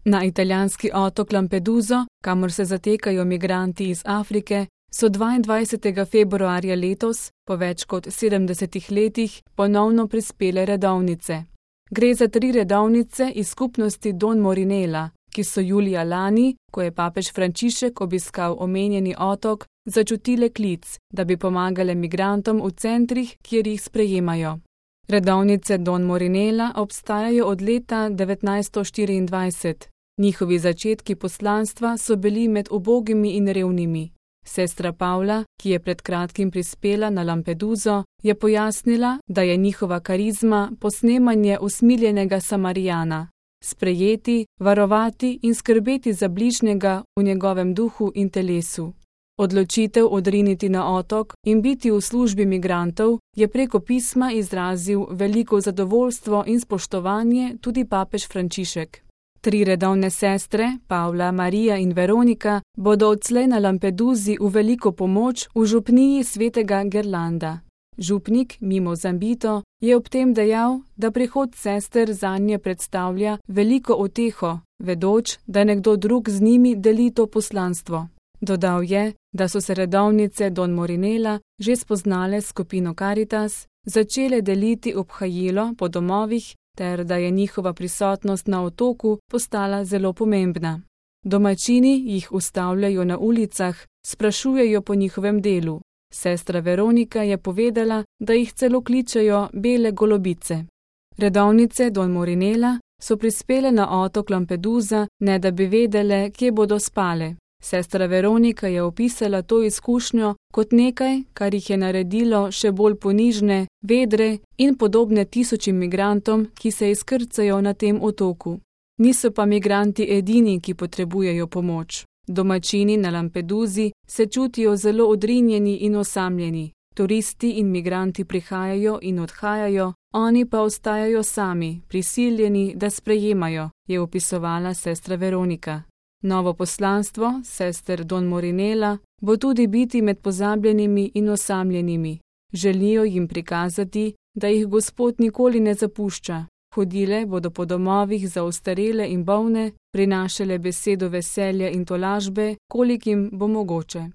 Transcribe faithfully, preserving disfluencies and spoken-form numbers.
Na italijanski otok Lampeduso, kamor se zatekajo migranti iz Afrike, so dvaindvajsetega februarja letos, po več kot sedemdesetih letih, ponovno prispele redovnice. Gre za tri redovnice iz skupnosti Don Morinela, ki so julija lani, ko je papež Frančišek obiskal omenjeni otok, začutile klic, da bi pomagale migrantom v centrih, kjer jih sprejemajo. Redovnice Don Morinela obstajajo od leta devetnajststo štiriindvajset. Njihovi začetki poslanstva so bili med ubogimi in revnimi. Sestra Pavla, ki je pred kratkim prispela na Lampeduso, je pojasnila, da je njihova karizma posnemanje usmiljenega Samarijana. Sprejeti, varovati in skrbeti za bližnjega v njegovem duhu in telesu. Odločitev odriniti na otok in biti v službi migrantov je preko pisma izrazil veliko zadovoljstvo in spoštovanje tudi papež Frančišek. Tri redovne sestre, Pavla, Marija in Veronika, bodo odslej na Lampeduzi v veliko pomoč v župniji svetega Gerlanda. Župnik Mimo Zambito je ob tem dejal, da prihod sester zanje predstavlja veliko uteho, vedoč, da nekdo drug z njimi deli to poslanstvo. Dodal je, da so se redovnice Don Morinela že spoznale s skupino Caritas, začele deliti obhajilo po domovih, ter da je njihova prisotnost na otoku postala zelo pomembna. Domačini jih ustavljajo na ulicah, sprašujejo po njihovem delu. Sestra Veronika je povedala, da jih celo kličejo bele golobice. Redovnice Don Morinela so prispele na otok Lampedusa, ne da bi vedele, kje bodo spale. Sestra Veronika je opisala to izkušnjo kot nekaj, kar jih je naredilo še bolj ponižne, vedre in podobne tisočim migrantom, ki se izkrcajo na tem otoku. Niso pa migranti edini, ki potrebujejo pomoč. Domačini na Lampeduzi se čutijo zelo odrinjeni in osamljeni. Turisti in migranti prihajajo in odhajajo, oni pa ostajajo sami, prisiljeni, da sprejemajo, je opisovala sestra Veronika. Novo poslanstvo, sester Don Morinela, bo tudi biti med pozabljenimi in osamljenimi. Želijo jim prikazati, da jih Gospod nikoli ne zapušča. Hodile bodo po domovih za ostarele in bolne, prinašale besedo veselja in tolažbe, kolikim bo mogoče.